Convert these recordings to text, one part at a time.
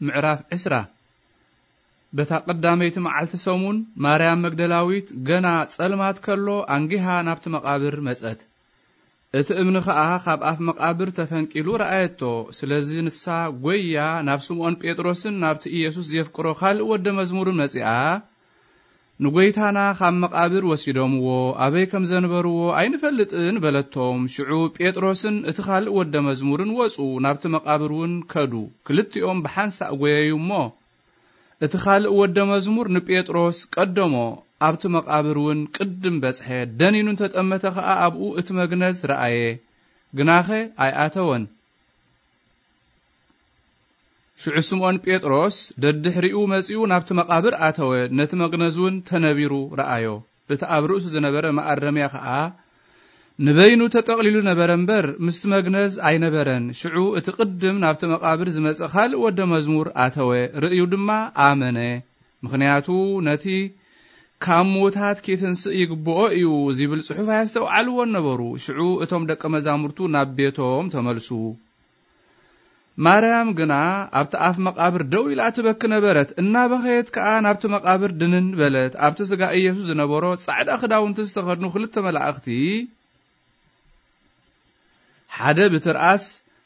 ምዕራፍ ዕስራ። በታ ቀዳመይቲ መዓልቲ ሰሙን ማርያም መግደላዊት ገና ጸልማት ከሎ ኣንጊሃ ናብቲ መቓብር መጸት። እቲ እምኒ ኸኣ ካብ ኣፍ መቓብር ተፈንቂሉ ረኣየቶ። ስለዚ ንሳ ጐይያ ናብ ስምዖን ጴጥሮስን ናብቲ ኢየሱስ ዜፍቅሮ ካልእ ወደ መዝሙርን መጺኣ፣ "ንጐይታና ኻብ መቓብር ወሲዶምዎ፣ ኣበይ ከም ዘንበርዎ ኣይንፈልጥን" በለቶም። ሽዑ ጴጥሮስን እቲ ኻልእ ወደ መዝሙርን ወጹ፣ ናብቲ መቓብር እውን ከዱ። ክልቲኦም ብሓንሳእ ጐየዩ እሞ፣ እቲ ኻልእ ወደ መዝሙር ንጴጥሮስ ቀደሞ፣ ኣብቲ መቓብር እውን ቅድም በጽሐ። ደኒኑ እንተ ጠመተ ኸኣ ኣብኡ እቲ መግነዝ ረኣየ፣ ግናኸ ኣይኣተወን። ሽዑ ስምዖን ጴጥሮስ ደድሕሪኡ መጺኡ ናብቲ መቓብር ኣተወ፣ ነቲ መግነዝ እውን ተነቢሩ ረኣዮ። እቲ ኣብ ርእሱ ዝነበረ መኣረምያ ኸኣ ንበይኑ ተጠቕሊሉ ነበረ እምበር፣ ምስቲ መግነዝ ኣይነበረን። ሽዑ እቲ ቅድም ናብቲ መቓብር ዝመጸ ካልእ ወደ መዝሙር ኣተወ፣ ርእዩ ድማ ኣመነ። ምኽንያቱ ነቲ "ካብ ምዉታት ኬትንስእ ይግብኦ እዩ" ዚብል ጽሑፍ ኣየስተውዓልዎን ነበሩ። ሽዑ እቶም ደቀ መዛሙርቱ ናብ ቤቶም ተመልሱ። ማርያም ግና ኣብቲ ኣፍ መቓብር ደው ኢላ ትበኪ ነበረት። እናበኸየት ከኣ ናብቲ መቓብር ድንን በለት። ኣብቲ ስጋ ኢየሱስ ዝነበሮ ጻዕዳ ክዳውንቲ ዝተኸድኑ ክልተ መላእኽቲ፣ ሓደ ብትርኣስ፣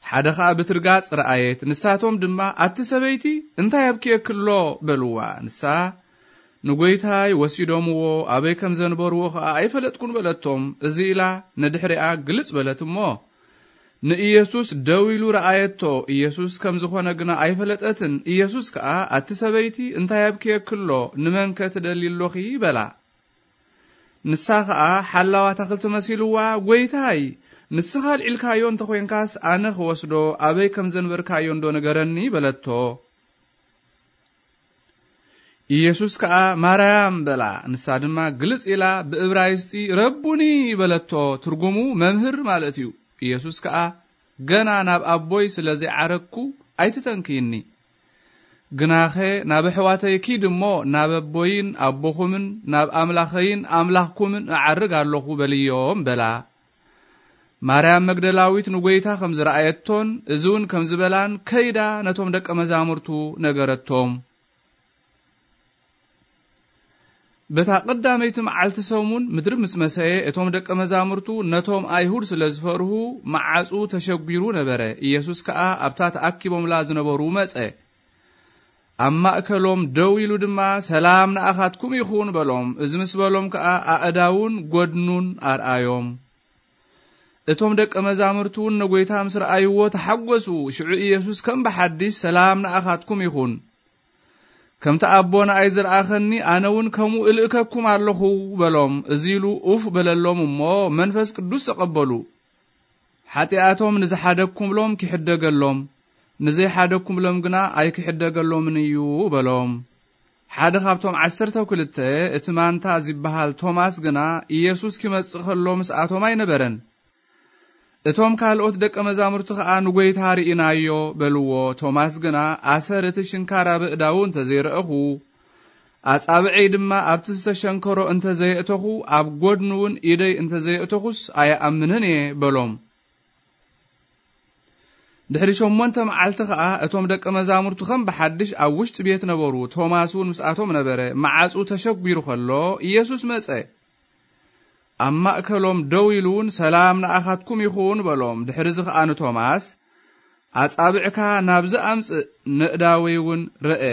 ሓደ ኸኣ ብትርጋጽ ረኣየት። ንሳቶም ድማ፣ "ኣቲ ሰበይቲ፣ እንታይ ኣብክየኪ ኣሎ?" በልዋ። ንሳ፣ "ንጐይታይ ወሲዶምዎ፣ ኣበይ ከም ዘንበርዎ ኸኣ ኣይፈለጥኩን" በለቶም። እዚ ኢላ ንድሕሪኣ ግልጽ በለት እሞ፣ ንኢየሱስ ደው ኢሉ ረኣየቶ። ኢየሱስ ከም ዝኾነ ግና ኣይፈለጠትን። ኢየሱስ ከኣ፣ "ኣቲ ሰበይቲ፣ እንታይ ኣብክየኪ ኣሎ? ንመንከ ትደልዪ ኣሎኺ?" በላ። ንሳ ኸኣ ሓላው ኣታኽልቲ መሲልዋ፣ "ጐይታይ፣ ንስኻ ኣልዒልካዮ እንተ ኾይንካስ፣ ኣነ ክወስዶ ኣበይ ከም ዘንበርካዮ እንዶ ንገረኒ" በለቶ። ኢየሱስ ከኣ፣ "ማርያም" በላ። ንሳ ድማ ግልጽ ኢላ ብእብራይስጢ፣ "ረቡኒ" በለቶ። ትርጉሙ መምህር ማለት እዩ። ኢየሱስ ከኣ፣ "ገና ናብ ኣቦይ ስለ ዘይዓረግኩ ኣይትተንክይኒ። ግናኸ ናብ ኣሕዋተይ ኪድ እሞ፣ ናብ ኣቦይን ኣቦኹምን ናብ ኣምላኸይን ኣምላኽኩምን እዓርግ ኣለኹ" በልዮም በላ። ማርያም መግደላዊት ንጐይታ ከም ዝረኣየቶን እዚ እውን ከም ዝበላን ከይዳ ነቶም ደቀ መዛሙርቱ ነገረቶም። በታ ቀዳመይቲ መዓልቲ ሰሙን ምድሪ ምስ መሰየ፣ እቶም ደቀ መዛሙርቱ ነቶም ኣይሁድ ስለ ዝፈርሁ፣ መዓጹ ተሸጒሩ ነበረ። ኢየሱስ ከኣ ኣብታ ተኣኪቦምላ ዝነበሩ መጸ። ኣብ ማእከሎም ደው ኢሉ ድማ፣ "ሰላም ንኣኻትኩም ይኹን" በሎም። እዚ ምስ በሎም ከኣ ኣእዳዉን ጐድኑን ኣርኣዮም። እቶም ደቀ መዛሙርቱ እውን ንጐይታ ምስ ረኣይዎ ተሓጐሱ። ሽዑ ኢየሱስ ከም ብሓድሽ፣ "ሰላም ንኣኻትኩም ይኹን። ከምቲ ኣቦ ንኣይ ዝረኣኸኒ፣ ኣነ እውን ከምኡ እልእከኩም ኣለኹ" በሎም። እዚ ኢሉ ኡፍ በለሎም እሞ፣ መንፈስ ቅዱስ ተቐበሉ። ሓጢኣቶም ንዝሓደግኩምሎም ኪሕደገሎም፣ ንዘይሓደግኩምሎም ግና ኣይኪሕደገሎምን እዩ በሎም። ሓደ ካብቶም ዓሰርተው ክልተ፣ እቲ ማንታ ዚበሃል ቶማስ ግና፣ ኢየሱስ ኪመጽእ ከሎ ምስኣቶም ኣይነበረን። እቶም ካልኦት ደቀ መዛሙርቲ ኸኣ፣ "ንጐይታ ርኢናዮ" በልዎ። ቶማስ ግና፣ "ኣሰር እቲ ሽንካር ኣብ ኣእዳዉ እንተ ዘይረእኹ፣ ኣጻብዐይ ድማ ኣብቲ ዝተሸንከሮ እንተ ዘየእተኹ፣ ኣብ ጐድኑ እውን ኢደይ እንተ ዘየእተኹስ፣ ኣይኣምንን እየ" በሎም። ድሕሪ ሸሞንተ መዓልቲ ኸኣ፣ እቶም ደቀ መዛሙርቱ ኸም ብሓድሽ ኣብ ውሽጢ ቤት ነበሩ። ቶማስ እውን ምስኣቶም ነበረ። መዓጹ ተሸጒሩ ኸሎ፣ ኢየሱስ መጸ። ኣብ ማእከሎም ደው ኢሉ እውን፣ "ሰላም ንኣኻትኩም ይኹን" በሎም። ድሕርዚ ኸኣ ንቶማስ፣ "ኣጻብዕካ ናብዚ ኣምጽእ፣ ነእዳወይ እውን ርአ።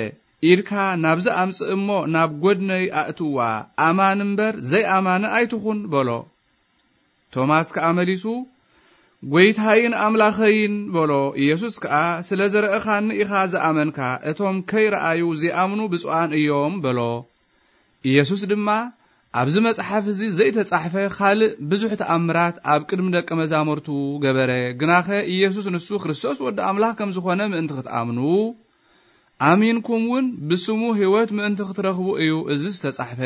ኢድካ ናብዚ ኣምጽእ እሞ፣ ናብ ጐድነይ ኣእትዋ። ኣማኒ እምበር ዘይኣማኒ ኣይትኹን" በሎ። ቶማስ ከኣ መሊሱ፣ "ጐይታይን ኣምላኸይን" በሎ። ኢየሱስ ከኣ፣ "ስለ ዝረእኻኒ ኢኻ ዝኣመንካ፣ እቶም ከይረኣዩ ዚኣምኑ ብፁዓን እዮም" በሎ። ኢየሱስ ድማ፣ "ኣብዚ መጽሓፍ እዚ ዘይተጻሕፈ ካልእ ብዙሕ ተኣምራት ኣብ ቅድሚ ደቀ መዛሙርቱ ገበረ። ግናኸ ኢየሱስ ንሱ ክርስቶስ ወዲ ኣምላኽ ከም ዝኾነ ምእንቲ ክትኣምኑ፣ ኣሚንኩም እውን ብስሙ ህይወት ምእንቲ ክትረኽቡ እዩ እዚ ዝተጻሕፈ"